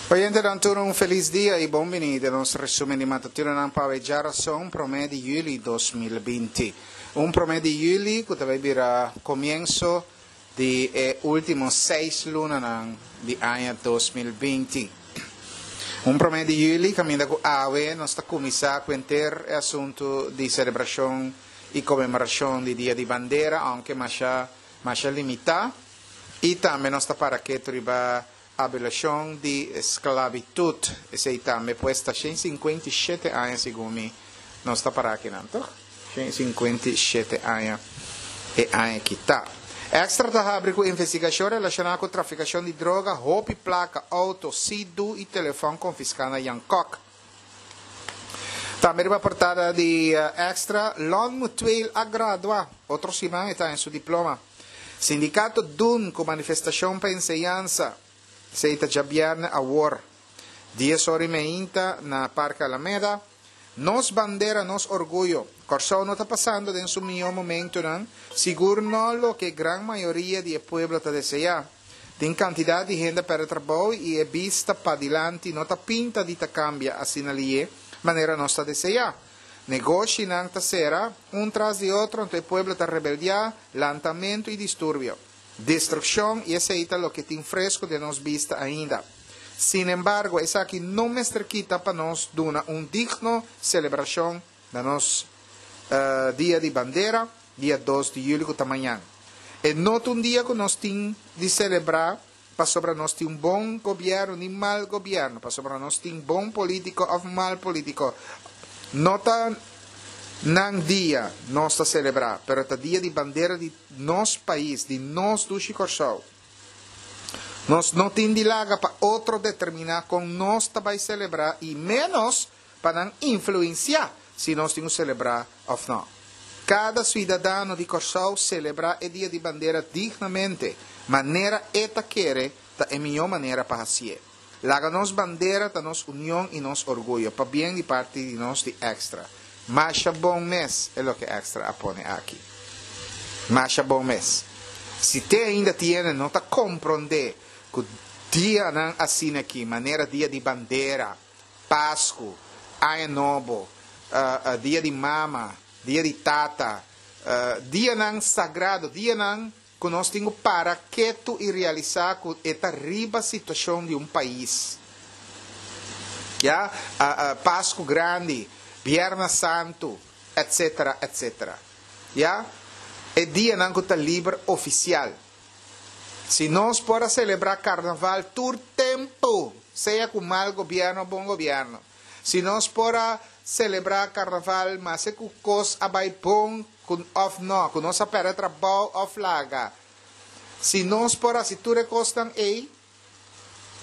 Oyentenan tur un felis dia y bon bini den nos resumen di matutinonan pa awe djarason prome di juli 2020. Un prome di juli cu ta bay bira comienso di e ultimo seis lunanan di aña 2020. Un prome di juli caminda cu awe nos ta cuminsa cu henter e asunto di celebracion y conmemoracion di Dia di Bandera aunke masha masha limita y tambe nos ta para ketu riba Abolishon di sklabitut, esei tambe pues ta 157 aña segun mi nos ta para akinan toch? 157 aña e aña aki ta. Extra ta habri ku investigashon relashoná ku trafikashon di droga, hopi plaka, outo, sidu i telefòn konfiská na Jan Kok. Tambe riba portada di Extra, Lon Mutueel a gradua, otro siman e ta haña su diploma. Sindikato dun ku manifestashon pa enseñansa, esei ta djabièrnè awor, dies ora i meinta na Parke Alameda. Nos bandera, nos orguyo. Kòrsou no ta pasando den su mihó momentunan, sigur no loke gran mayoria di e pueblo ta deseá. Tin kantidat di hende a pèrdè trabou i e bista padilanti no ta pinta di ta kambia asina lié manera nos ta deseá. Negoshinan ta sera, un tras di otro, anto e pueblo ta rebeldiá, lantamentu i disturbio, destrukshon, i esei ta loke tin fresku den nos bista ainda. Sinembargo, esaki no mester kita pa nos duna un digno selebrashon na nos Dia di Bandera, dia dos di juli ku ta mañan. E no ta un dia ku nos tin di selebrá pasobra nos tin un bon gobièrnu ni mal gobièrnu, pasobra nos tin bon polítiko òf mal polítiko. No ta nan dia nos ta selebrá, pero ta dia di bandera di nos pais, di nos dushi Kòrsou. Nos no tin di laga pa otro determiná kon nos ta bai selebrá i ménos pa nan influensiá si nos tin ku selebrá òf nò. Kada suidadano di Kòrsou selebrá e Dia di Bandera dignamente, manera e ta kere ta e mihó manera pa hasié. Laga nos bandera ta nos union i nos orguyo, pabien di parti di nos di Extra. Masha bon mes e loke Extra a pone aki. Masha bon mes. Si te ainda tiene no ta komprondé ku dianan asina aki, manera Dia di Bandera, Pasku, Aña Nobo, Dia di Mama, Dia di Tata, dianan sagrado, dianan ku nos tin ku para ketu i realisá ku e ta riba situashon di un pais. Ya, Pasku Grandi, Bierna Santu, etsetera, etsetera. Ya, e dianan ku ta liber ofisial. Si nos por a selebrá karnaval tur tempu, sea ku mal gobièrnu o bon gobièrnu. Si nos por a selebrá karnaval maske ku kos a bai bon ku òf nò, ku nos a pèrdè trabou òf laga. Si nos por hasi tur e kosnan ei,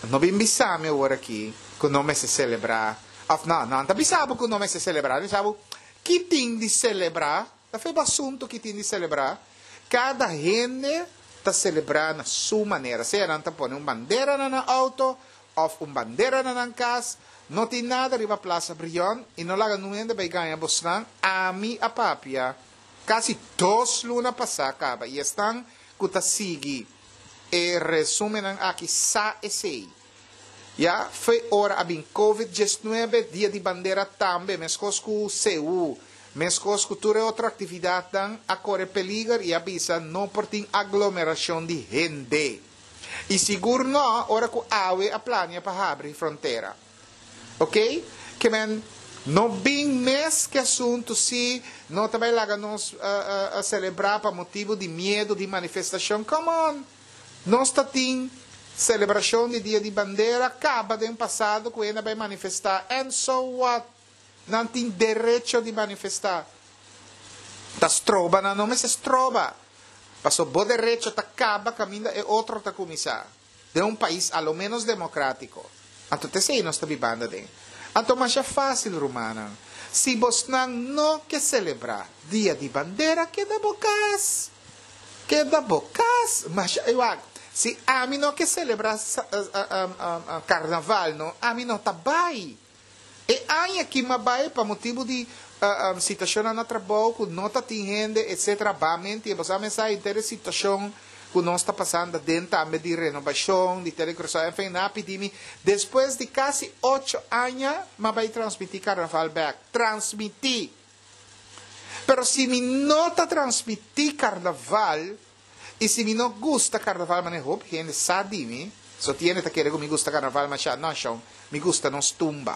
no bin bisa mi awor aki ku no mester selebrá òf nò. Nan ta bisa bo ku no mester selebrá, nan bisa bo ki tin di selebrá. Ta fe bo asuntu ki tin di selebrá. Kada hende ta selebrá na su manera. Sea nan ta pone un bandera na nan outo òf un bandera na nan kas. No tin nada riba Plaza Brion i no laga nun hende bai gaña bosnan. Ami a papia kasi dos luna pasá kaba i esnan ku ta sigui e resúmennan aki sa esei. Ya fo'i ora a bin Covid 19, Dia di Bandera tambe, meskos ku CU, meskos ku tur e otro aktividatnan, a kore peliger i a bisa no por tin aglomerashon di hende. I sigur no ora ku awe a plania pa habri frontera. Ok? Ke men no bin mes ku e asuntu si no ta bai laga nos selebrá pa motibu di miedu di manifestashon. Come on! Nos ta tin celebracion di Dia di Bandera caba den pasado cu hende a bay manifesta and so what? Nan tin derecho di manifesta. Ta stroba nan? No mester stroba. Paso bo derecho ta caba caminda e otro ta cuminsa. Den un pais a lo menos democratico. Anto ta esey nos ta bibando aden. Anto masha facil rumannan. Si bosnan no ke celebra Dia di Bandera keda bo cas. Keda bo kas. Masha e wak. Si ami no ke selebrá karnaval no, ami no ta bai. E aña aki m'a bai pa motibu di situashonnan na trabou ku no ta tin hende etsetera. Ba menti e boso a mensá henter e situashon ku nos ta pasando aden tambe di renobashon di Telecuraçao, enfin nan a pidi mi despues di kasi ocho aña m'a bai transmití karnaval bèk. Transmití! Pero si mi no ta transmití karnaval i si mi no gusta karnaval manera hopi hende sa di mi, so tin hende ta kere ku mi gusta karnaval masha, no shon, mi gusta nos tumba.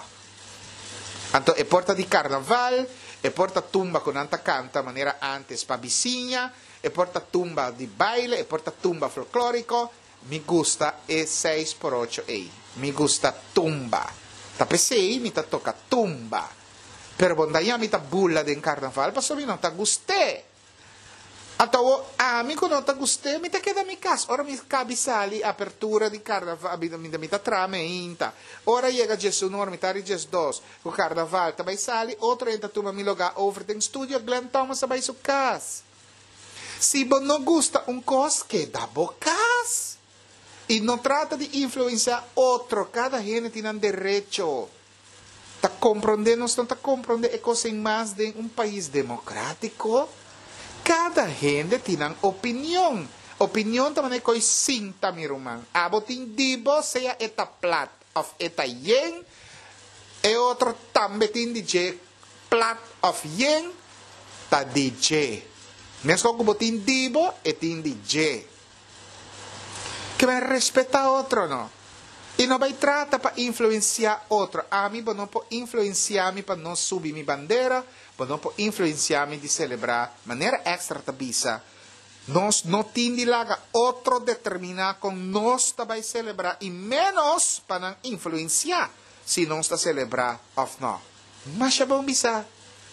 Anto e por ta di karnaval, e por ta tumba ku nan ta kanta manera ántes pa bisiña, e por ta tumba di baile, e por ta tumba folklóriko, mi gusta e seis por ocho ei. Mi gusta tumba. Ta p'esei mi ta toka tumba. Pero bo daña mi ta bula den karnaval pasobra mi no ta gust'é. Anto awor ami ku no ta gust'é mi ta keda mi kas. Ora mi kabi sali apertura di karnaval mi ta traha meinta. Ora yega diesun or mi ta ri diesdos ku karnaval ta bai sali otro hende ta tuma mi lugá over den studio Glen Thomas a bai su kas. Si bo no gusta un kos keda bo kas i no trata di influensiá otro kada hende tin nan derecho. Ta komprondé nos no ta komprondé e kos ei mas den un pais demokratiko? Kada hende tin nan opinion. Opinion ta manera koi sinta mi ruman. Abo tin di bo sea e ta plat of e ta yen, e otro tambe tin di dje plat of yen ta di dje. Meskos ku bo tin di bo e tin di dje. Ke men respetá otro no. I no bai trata pa influensiá otro. Ami bo no por influensiá mi pa no subi mi bandera, bo no por influensiá mi di selebrá manera Extra ta bisa. Nos no tin di laga otro determiná kon nos ta bai selebrá i ménos pa nan influensiá si nos ta selebrá òf no. Masha bon bisá.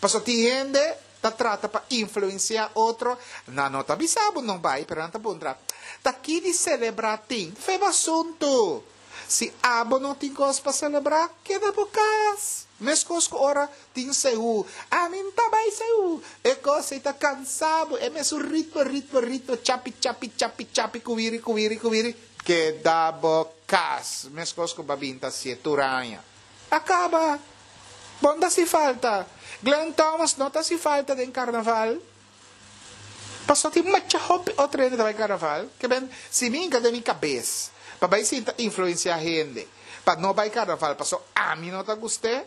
Pasobra tin hende ta trata pa influencia otro, nan no ta bisa bo no bai, pero nan ta puntra, ta ki di celebra tin? Fe bo asuntu! Si abo no tin cos pa celebra, keda bo cas. Mescos cu ora tin seú, ami n'ta bai seú! E cos ei ta cansa bo, e mesun ritmo, ritmo, ritmo, chapi, chapi, chapi, chapi, cuwiri, cuwiri, cuwiri, keda bo cas. Mescos cu bo a bin ta hacié tur aña. A caba! Bo no ta hasi falta. Glen Thomas no ta hasi falta den carnaval. Pasobra tin mucha hopi otro hende ta bai carnaval. Ke ben, si mi hinka den mi cabes pa bai sinta influencia hende pa no bai carnaval pasobra ami no ta gust'é,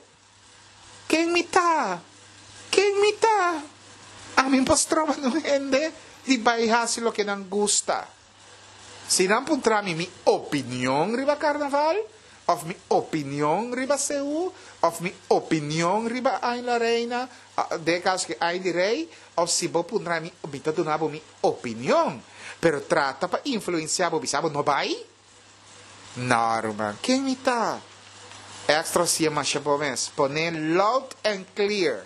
ken mi ta? Ken mi ta? Ami por stroba nun hende di bai hasi loke nan gusta. Si nan puntra mi mi opinion riba carnaval, of mi opinion riba CU, of mi opinion riba Ain La Reina, den e caso aki Ain di Rey, of si bo puntra mi, mi ta duna bo mi opinion. Pero trata pa influencia bo bisa bo no bay? No ruman, ken mi ta? Extra si e masha bo mes. Pone loud and clear.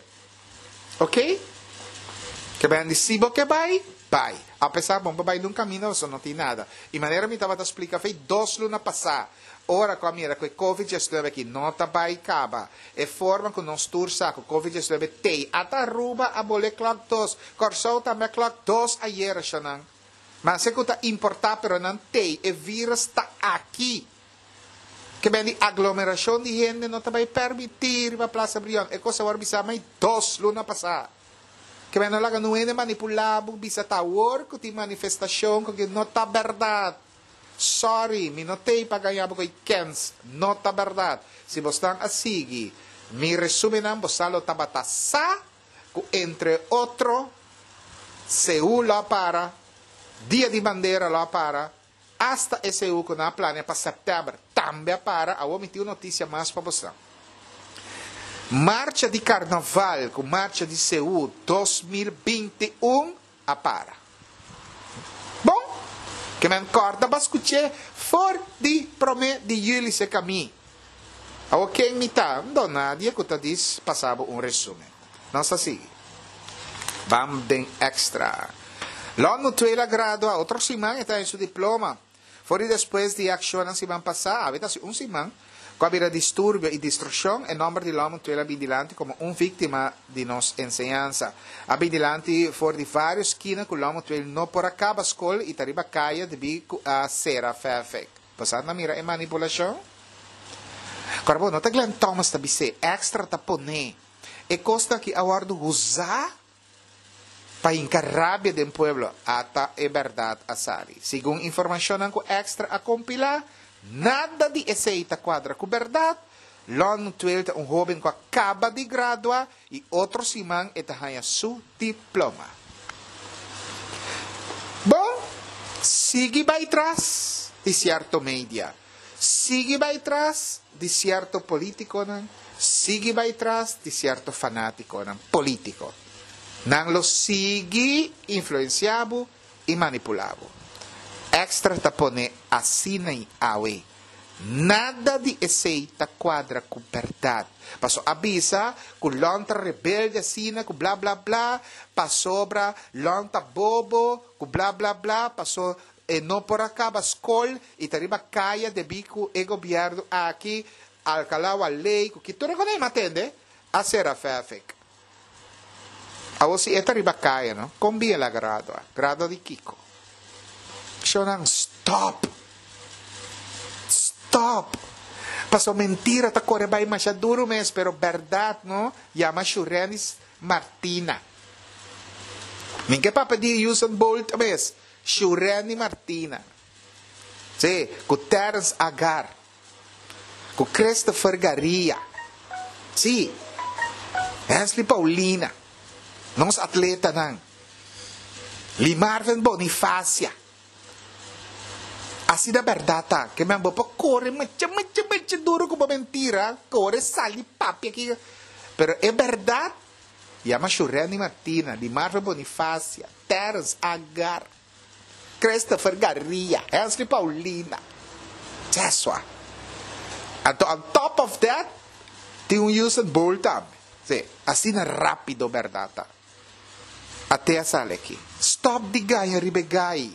Ok? Ke ben di si bo ke bai, bai. Apesar bon pa bai dun kaminda pasobra no tin nada. I manera mi tabata splika fei dos luna pasá, ora ku a mira ku e covid diesnuebe aki no ta bai kaba, e forma ku nos tur sa ku covid diesnuebe tei, ata Aruba a bole klòk dos, Kòrsou tambe a klòk dos ayera shonnan. Maske ku ta importá pero nan tei, e virus ta aki. Ke ben di aglomerashon di hende no ta bai permití riba Plaza Brion. E kos a wòrdu bisá mai dos luna pasá. Ke ben no laga nun hende manipulá bo bisa ta awor ku tin manifestashon ku ke no ta bèrdat. Sòri, mi no t'ei pa gaña bo ku ei kèns. No ta bèrdat. Si bosnan a sigui mi resúmennan bo sa lo tabata sa ku entre otro Seúl lo a para, Dia di Bandera lo a para, Asta e seú ku nan a plania pa sèptèmber tambe a para. Awor mi tin un notisia mas pa boso. Marcha di Karnaval ku Marcha di Seú 2021 a para. Bon, ke men kòrda pa skuch'é for di promé di yüli serka mi. Awor ken mi ta? Don nadie ku ta dis pasa bo un resúmen. Nos ta sigui. Bam den extra. Lon Mutueel a gradua otro siman e ta haña su diploma. For di despues di e akshonnan siman pasá, awe ta hasi un siman, ku a bira disturbio i destrukshon, e nòmber di Lon Mutueel a bin dilanti komo un víktima di nos enseñansa. A bin dilanti for di vários skina ku Lon Mutueel no por a kaba skol i ta riba kaya debí ku a sera Fafik. Bo sa mira e manipulashon? Kòrda bo, no ta Glenn Thomas ta bis'é, extra ta pon'é. E kosnan aki a wòrdu usá. Pa hinka rabia den pueblo, ata e bèrdat a sali. Segun informashonnan ku Extra a kompilá, nada di esei ta kuadra ku bèrdat. Lon Mutueel ta un hóben ku a kaba di gradua i otro siman e ta haña su diploma. Bon, sigui bai tras di sierto media, sigui bai tras di sierto polítikonan, sigui bai tras di sierto fanátikonan polítiko. Nan lo sigui influensiá bo i manipulá bo. Extra ta pone asina i awe. Nada di esei ta kuadra ku bèrdat. Paso a bisa ku Lon ta rebelde asina ku bla bla bla, pasobra Lon ta bobo ku bla bla bla, paso e no por a kaba skol i ta riba kaya debí ku e gobièrnu aki alkalá wak lei ku ki tur e konei matende a sera fèfek. Awor si e ta riba kaya no, kon bin el a gradua? Gradua di kiko? Shownan stop! Stop! Pasobra mentira ta kore bai masha duru mes, pero bèrdat no yama Shurenis Martina. Mi ke papia di Usain Bolt mes, Shurenny Martina. Sí, ku Terence Agar. Ku Christopher Garia. Sí, Hensley Paulina. Nos atletanan. Limarvin Bonifacia. Asina bèrdat ta, ke men bo por kore mucha, mucha, mucha duru ku bo mentira, kore sali papia aki. Pero e bèrdat, yama Shurenny Martina, Limarvin Bonifacia, Terence Agar. Christopher Garia, Hensley Paulina, Jesua. Anto on top of that, tin un Usain Bolt tambe. Sí, asina rápido bèrdat ta. Ate a sali aki. Stòp di gaña riba e gai.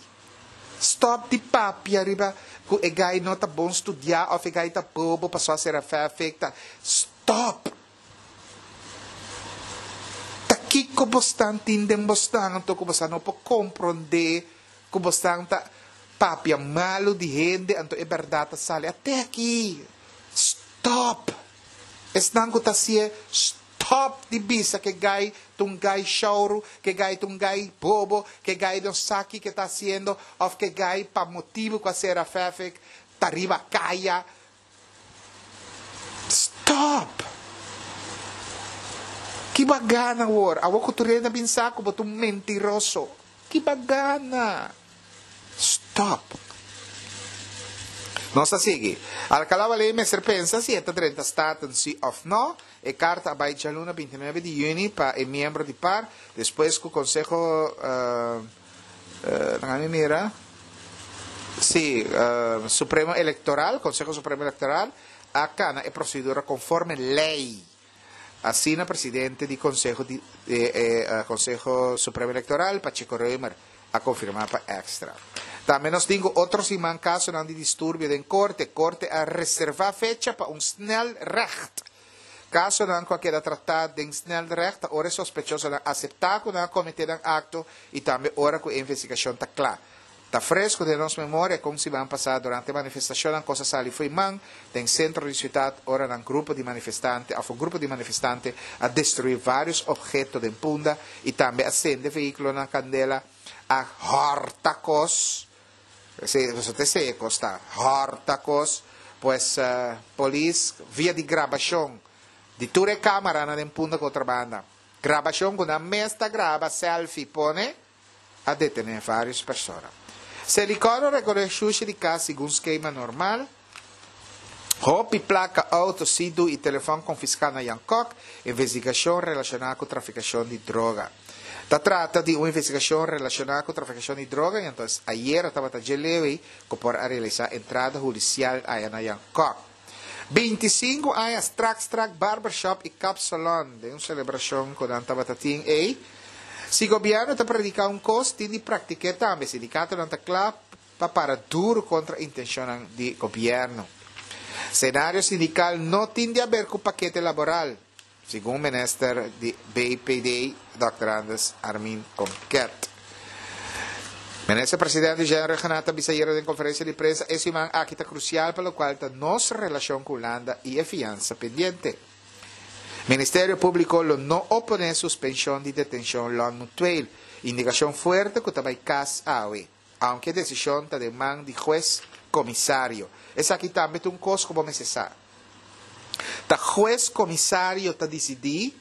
Stòp di papia riba ku e gai no ta bon studiá òf e gai ta bobo pasobra a sera fèfek ta. Stòp! Ta kiko bosnan tin den bosnan anto ku bosnan no por komprondé ku bosnan ta papia malu di hende anto e bèrdat ta sali? Ate aki! Stòp! Esnan ku ta hasié, stòp di bisa ke gai ta un gai shouru, ke gai ta un gai bobo, ke gai no sa kiko e ta hasiendo òf ke gai pa motibu ku a sera fèfek ta riba kaya. Stop! Ki bo a gana awor? Awor ku tur hende a bin sa ku bo ta un mentiroso. Ki bo a gana? Stop! Nos ta sigui. Alcalá Waley mester pensa si e ta drenta Staten si of no. E karta a bai djaluna 29 di yüni pa e miembro di par, despues ku Konseho Laga mi mira. Sí, Supremo Electoral, Conseho Supremo Electoral, a cana e procedura conforme ley. Asina presidente di Conseho di Conseho Supremo Electoral, Pacheco Römer, a confirma pa Extra. Tambe nos tin cu otro siman casonan di disturbio den corte. Corte a reserva fecha pa un snel recht. Kasonan ku a keda tratá den snelrecht ta ora e sospechosonan aseptá ku nan a kometé nan akto i tambe ora ku e investigashon ta kla. Ta fresku den nos memoria kon siman pasá durante manifestashonnan kos a sali fo'i man den sentro di siudat ora nan grupo di manifestante òf un grupo di manifestante a destruí vários opheto den Punda i tambe a sende vehíkulonan kandela a hòrta kos. Esei boso ta esei e kos ta hòrta kos. Pues polis via di grabashon di tur e kamaranan den Punta Kontrabanda, grabashon ku nan mes ta graba selfie pone, a detené vários persona. Selikor a rekoré shushi di kas segun skema normal. Hopi plaka, outo, sidu i telefòn konfiská na Jan Kok, investigashon relashoná ku trafikashon di droga. Ta trata di un investigashon relashoná ku trafikashon di droga i anto ayera tabata dje Lewi ku por a realisá entrada hudisial aya na Jan Kok. 25 aña strak strak barbershop i kapsalon den un selebrashon ku nan tabata tin ei. Si gobièrnu ta prediká un kos tin di praktik'é tambe, sindikatonan ta kla pa para duru kontra intenshonnan di gobièrnu. Senario sindikal no tin di aber ku pakete laboral, segun minister di BPD, dòkter Anders Armin Konket. Minister Presidente Jean Rhuggenaath a bisa ayera den konferensia di prensa e siman aki ta krusial pa lokual ta nos relashon ku Hulanda i e fiansa pendiente. Ministerio Públiko lo no oponé suspenshon di detenshon Lon Mutueel, indikashon fuerte ku ta bai kas awe, aunke desishon ta den man di hues komisario. Esaki tambe ta un kos ku bo mester sa. Ta hues komisario ta disidí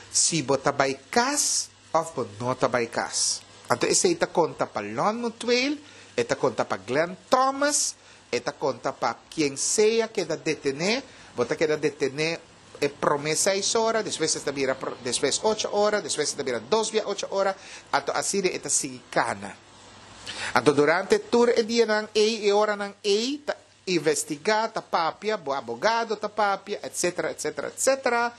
si bo ta bai kas òf bo no ta bai kas. Anto esei ta konta pa Lon Mutueel, e ta konta pa Glenn Thomas, E ta konta pa kien sea keda detené, bo ta keda detené e promé seis ora, despues e ta bira despues ocho ora, despues e ta bira dos bia ocho ora, anto asina e ta sigui kana. Anto durante tur e dianan ei, e oranan ei, ta investigá, ta papia, bo abogado ta papia, etcetera, etcetera, etcetera.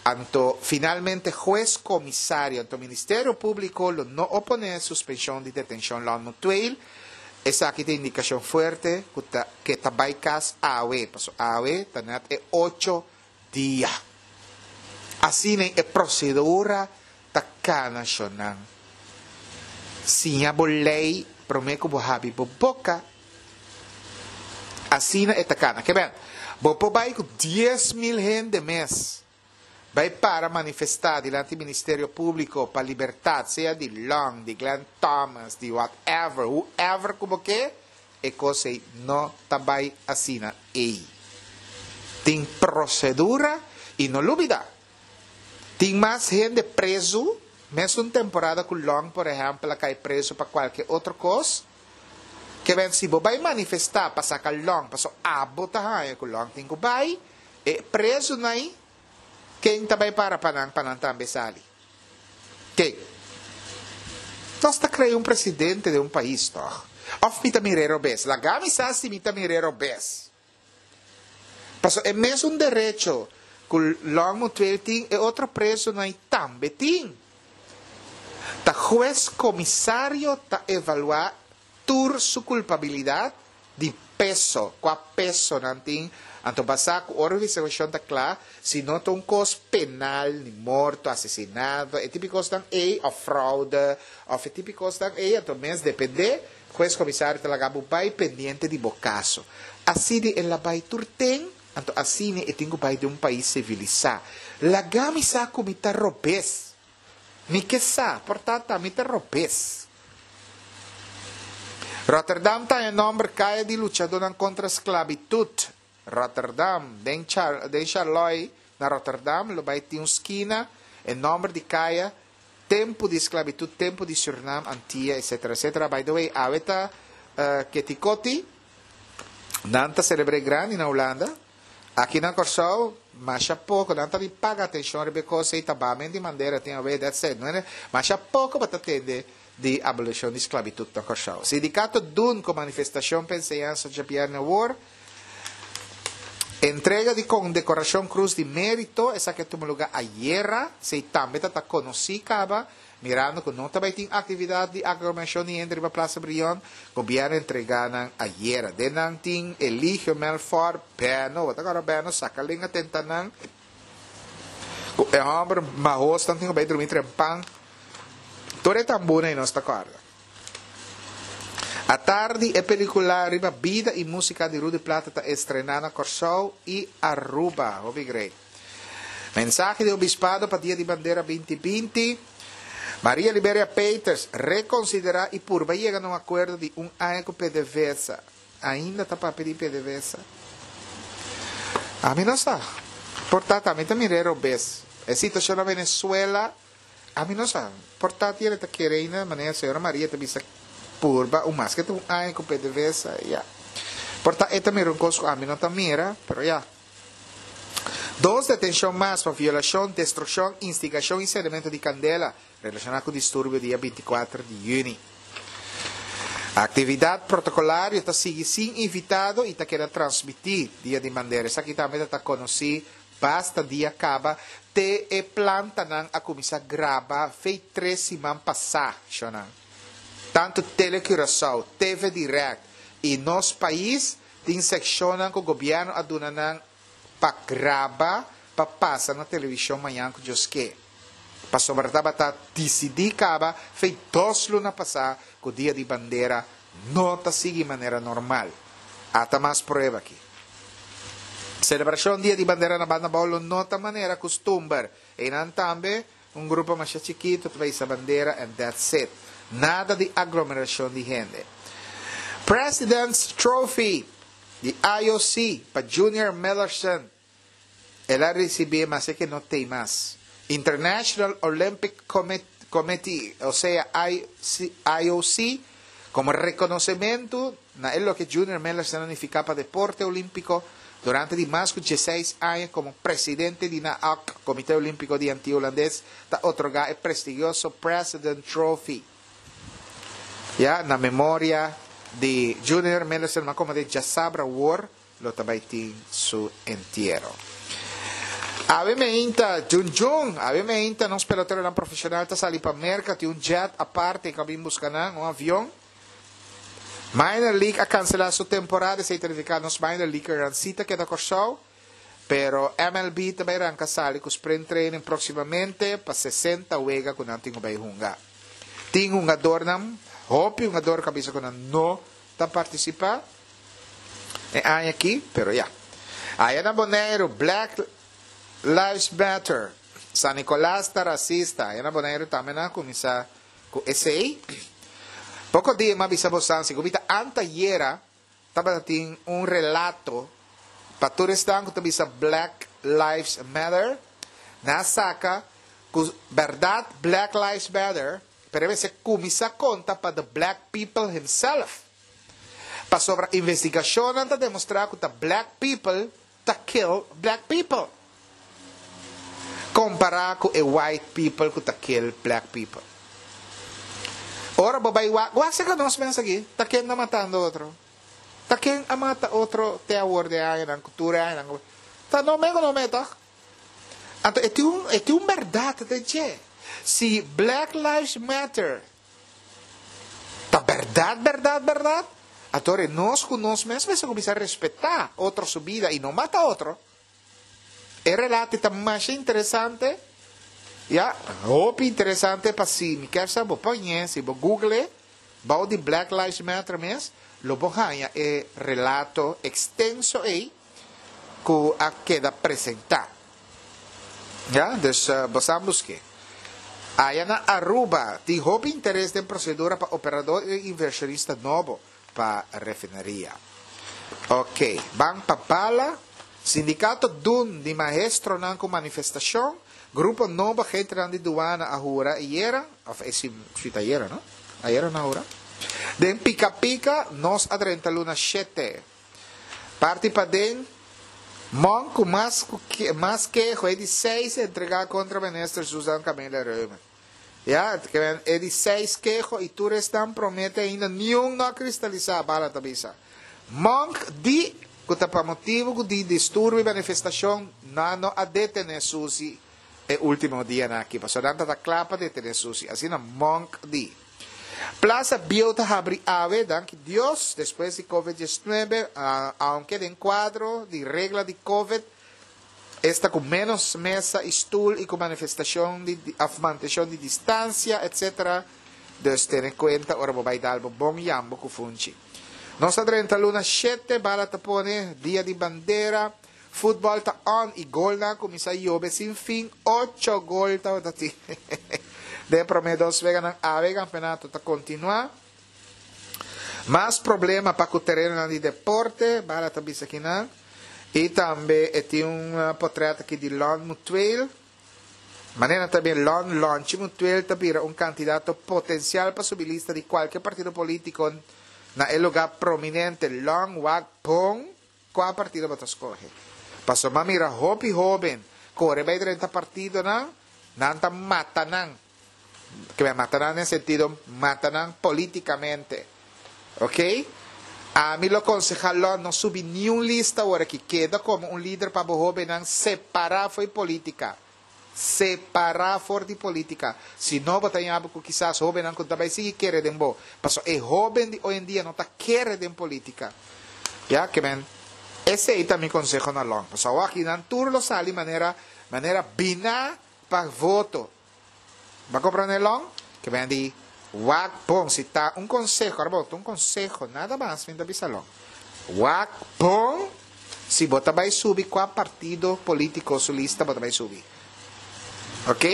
Anto finalmente hues komisario, anto Ministerio Públiko lo no oponé suspenshon di detenshon Lon Mutueel, Esaki ta indikashon fuerte ku ta ke ta bai kas awe, paso awe ta nèt e ocho dia. Asina e prosedura ta kana shonnan. Siña bo lei promé ku bo habi bo boka. Asina e ta kana. Ke ben, bo por bai ku 10,000 hende mes. Bai para manifestá dilanti Ministerio Públiko pa libertat, sea di Long, di Glenn Thomas, di whatever, whoever ku bo ke, e kos ei no ta bai asina ei. Tin prosedura i no lubidá, tin mas hende prezu, mesun temporada ku Long por ehèmpel a kai prezu pa kualke otro kos, ke ben si bo bai manifestá pa saka Long pasobra abo ta haña ku Long tin ku bai, E prezunan ken ta bai para pa nan pa nan tambe sali? Ken? Nos ta krea un presidente den un pais tog? Of mi ta mir'é robes? Laga mi sa si mi ta mir'é robes. Pasobra e mesun derecho ku Long Mutueel tin, e otro prezunan tambe tin. Ta hues komisario ta evaluá tur su kulpabilidat di peso, kua peso nan tin, anto basá ku ora investigashon ta kla, si no ta un kos penal, ni morto, asesinato, e tipo kosnan ei, òf fraude, òf e tipo kosnan ei, anto mes dependé, hues komisario ta laga bo bai pendiente di bo kaso. Asina el a bai tur ten, anto asina e tin ku bai den un pais sivilisá. Laga mi sa ku mi ta robes. Mi ke sa, por ta ta mi ta robes. Rotterdam ta haña nòmber Kaya di Luchadónan kontra Sklabitut. Rotterdam, Den Char den Charlois na Rotterdam lo bai tin un skina, e nòmber di kaya, tempu di sklabitut, tempu di Surnam, Antia, etcetera, etcetera. By the way, awe ta Ketikoti, nan ta selebr'é grandi na Hulanda. Aki na Kòrsou, masha poko, nan ta bin paga atenshon riba e kos ei, ta bamen di mandera tin awe, that's it. No masha poko bo ta tende di abolishon di sklabitut na Kòrsou. Sindikato dun ku manifestashon pa enseñansa djabièrnè awor, Entrega di kondekorashon Krus di Mérito, esaki a tuma lugá ayera, esei tambe ta ta konosí kaba, Mirando cu no ta bay tin actividad di aglomeracion di hende riba Plaza Brion, gobierno entrega nan ayera. Den nan tin Eligio Melfor, Beno, bo ta acorda Beno, saca lenga tenta nan cu e homber mahos nan tin cu bay drumi trempan. Tur e tambuna y nos ta acorda. Atardi e pelicula riba bida y musica di Rudy Plata ta estrena na Corsou y Aruba. Hopi great. Mensahe di Obispado pa Dia di Bandera 2020, Maria Liberia Peters, rekonsiderá i purba yega na un akuerdo di un aña ku PDVSA. Ainda ta papia di PDVSA? Ami no sa. Por ta ta mi ta mir'é robes. E situashon na Venezuela, ami no sa. Por ta tiene ta kere ainda manera señora Maria ta bisa purba un maske ta un aña ku PDVSA, ya. Por ta e ta mira un kos ku ami no ta mira, pero ya. Dos detenshon mas pa violashon, destrukshon, instigashon i sendementu di kandela relashoná ku disturbio dia 24 di yüni. Aktividat protokolario ta sigui sin invitado i ta keda transmití Dia di Bandera. Esaki tambe ta ta konosí basta dia kaba te e plantanan a kuminsá graba fei tres siman pasá, shonnan. Tantu Tele Curaçao, TV Direct i Nos Pais Tin sekshonnan ku gobièrnu a duna nan pa graba pa pasa na televishon mañan ku Dios ke. Pasobra tabata disidí kaba fei dos luna pasá ku Dia di Bandera no ta sigui manera normal. Ata mas prueba aki. Selebrashon Dia di Bandera na Banda Bou lo no ta manera kustumber. Einan tambe un grupo masha chikitu ta bai hisa bandera and that's it. Nada di aglomerashon di hende. President's Trophy di IOC pa Junior Millerson. El a risibí maske ke no tei mas. International Olympic Committee, osea IOC, komo rekonosementu na e loke Junior Millerson a nifiká pa deporte olímpiko durante di mas ku dieseis aña komo presidente di NAOC, Komité Olímpiko di Antia Hulandes, ta otorgá e prestigioso President Trophy. Ya na memoria di Junior Millerson, mas komo di djasabra wor lo ta bai tin su entiero. Awe meinta, Jun Jun, awe meinta nos peloteronan profesional ta sali pa Merca, tin un jet aparte ku a bin buska nan, un avion. Minor League a cancela su temporada, esei ta nifica nos Minor Leaguernan si ta keda Corsou, pero MLB ta bai ranca sali cu Spring Training proximamente pa 60 wega cu nan tin cu bai hunga. Tin hungadornan, hopi hungador cu a bisa cu nan no ta participa e aña aki, pero ya. Aya na Boneiru, Black Lives Matter, San Nicolas ta racista, aya na Boneiru tambe nan a cuminsa Ku esei, poko dia mi a bisa bosan si ku mi ta antayera tabata tin un relato pa tur esnan ku ta bisa Black Lives Matter, nan a saka ku bèrdat Black Lives Matter, pero e mester kuminsá konta pa the black people himself. Pasobra investigashonnan ta demostrá ku ta black people ta kill black people compara cu e white people cu ta kill black people. Ora bo bay wak, wak cerca nos mes aki, ta ken ta matando otro? Ta ken a mata otro te awor den añanan cu tur e añanan cu ta no me cu no me toch? Anto e tin un e tin un berdad den dje. Si Black Lives Matter Ta berdad, berdad, berdad? Anto ora nos ku nos mes mester kuminsá respetá otro su bida i no mata otro. E relato ta masha interesante, ya, hopi interesante pa si mi kier sa bo poñ'é, si bo google e, bou di Black Lives Matter mes, lo bo haña e relato ekstenso ei ku a keda presentá. Ya, dus bo sa busk'é. Aya na Aruba tin hopi interes den prosedura pa operador i invershonista nobo pa refineria. Ok, ban pa bala. Sindikato dun di maestronan ku manifestashon. Grupo nobo agentenan di duana a hura ayera, of e si ta ayera no? Ayera nan a hura. Den pika pika nos a drenta luna shete. Parti paden, Monk ku mas ku mas keho e di seis entregá kontra minister Susan Camelia Reumer. Ya, e di seis keho i tur esnan promete ainda niun no a kristalisá, Bala ta bisa. Monk di ku ta pa motibu ku di disturbio i manifestashon nan no a detené Susi e último dianan aki, pasobra nan ta ta kla pa detené Susi, asina Monk di. Plaza Bieu ta habri awe, danki Dios, despues di Covid diesnuebe, aunke den kuadro di regla di Covid, esta ku ménos mesa i stul i ku manifestashon di òf mantenshon di distansia etc. Dus tene kuenta ora bo bai dal bo bon yambo ku funchi. Nos ta drenta luna shete, bala ta pone, dia di bandera, futbòl ta on i golnan a kuminsá yobe sin fin, ocho gol tabata tin den e promé dos weganan awe e kampeonato ta kontinuá. Mas problema pa ku terenonan di deporte, bala ta bisa kinan. I tambe e tin un potrèt aki di Lon Mutueel. Manera ta bin Lon Lonchi Mutueel ta bira un kandidato potensial pa subi lista di kualke partido polítiko na e lugá prominente. Lon wak bon Kua partido bo ta skohe? Pasobra mi a mira hopi hóben kore bai drenta partidonan, nan ta mata nan. Ke men mata nan den sentido mata nan polítikamente. Oke? Ami lo konsehá Lon no subi niun lista awor aki. Keda komo un lider pa bo hóbennan separá fo'i polítika. Separá for di polítika. Si no bo ta yabi ku kisas hóbennan ku ta bai sigui kere den bo. Pasobra e hóben di oyendia no ta kere den polítika. Ya, ke men, esei ta mi konseho na Lon. Pasobra awor aki nan tur lo sali manera, manera biná pa voto. Bo a komprendé Lon? Ke men di, wak bon. Si ta un konseho, ora bo ta un konseho, nada mas mi ta bisa Lon. Wak bon. Si bo ta bai subi kua partido politico su lista bo ta bai subi. Ok?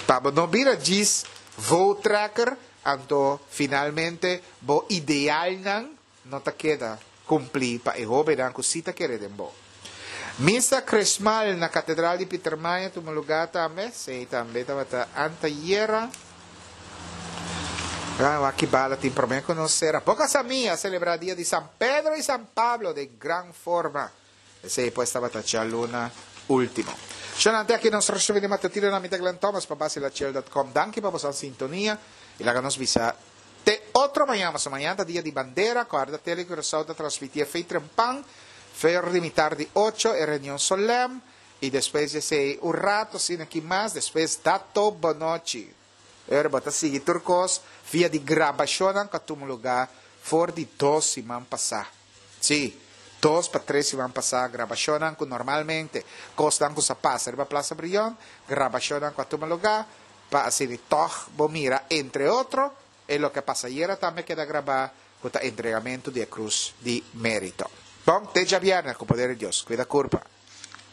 Pa bo no bira djis vote-trekker anto finalmente bo idealnan no ta keda kumpli pa e hobennan ku si ta kere den bo. Misa Chrismal na Katedral di Pietermaai a tuma lugá tambe, esei tambe tabata antayera. Gran wak ki bala tin promé ku nos sera. Boca Samí a selebrá dia di San Pedro i San Pablo den gran forma. Esei pues tabata djaluna último. Shonnan te aki nos resumen di matutino na mi ta Glenn Thomas pa Basilachel dot com. Danki pa boso sintonia i laga nos bisa te otro mañan. Pasobra mañan ta dia di bandera. Kòrda Tele Curaçao ta transmití e fei trempan, fer di mitar di ocho, e reunion solèm i despues di esei un rato asina aki mas, despues Dato Bonochi. Ora bo ta sigui tur kos via di grabashonnan ku a tuma lugá for di dos siman pasá. Sí, dos pa tres siman pasá grabashonnan ku normalmente kosnan ku sa pasa riba Plaza Brion, grabashonnan ku a tuma lugá pa asina tòg bo mira entre otro e loke a pasa ayera tambe a keda grabá ku ta entregamentu di e Krus di Mérito. Bon, te djabièrnè ku poder di Dios. Kuida kurpa.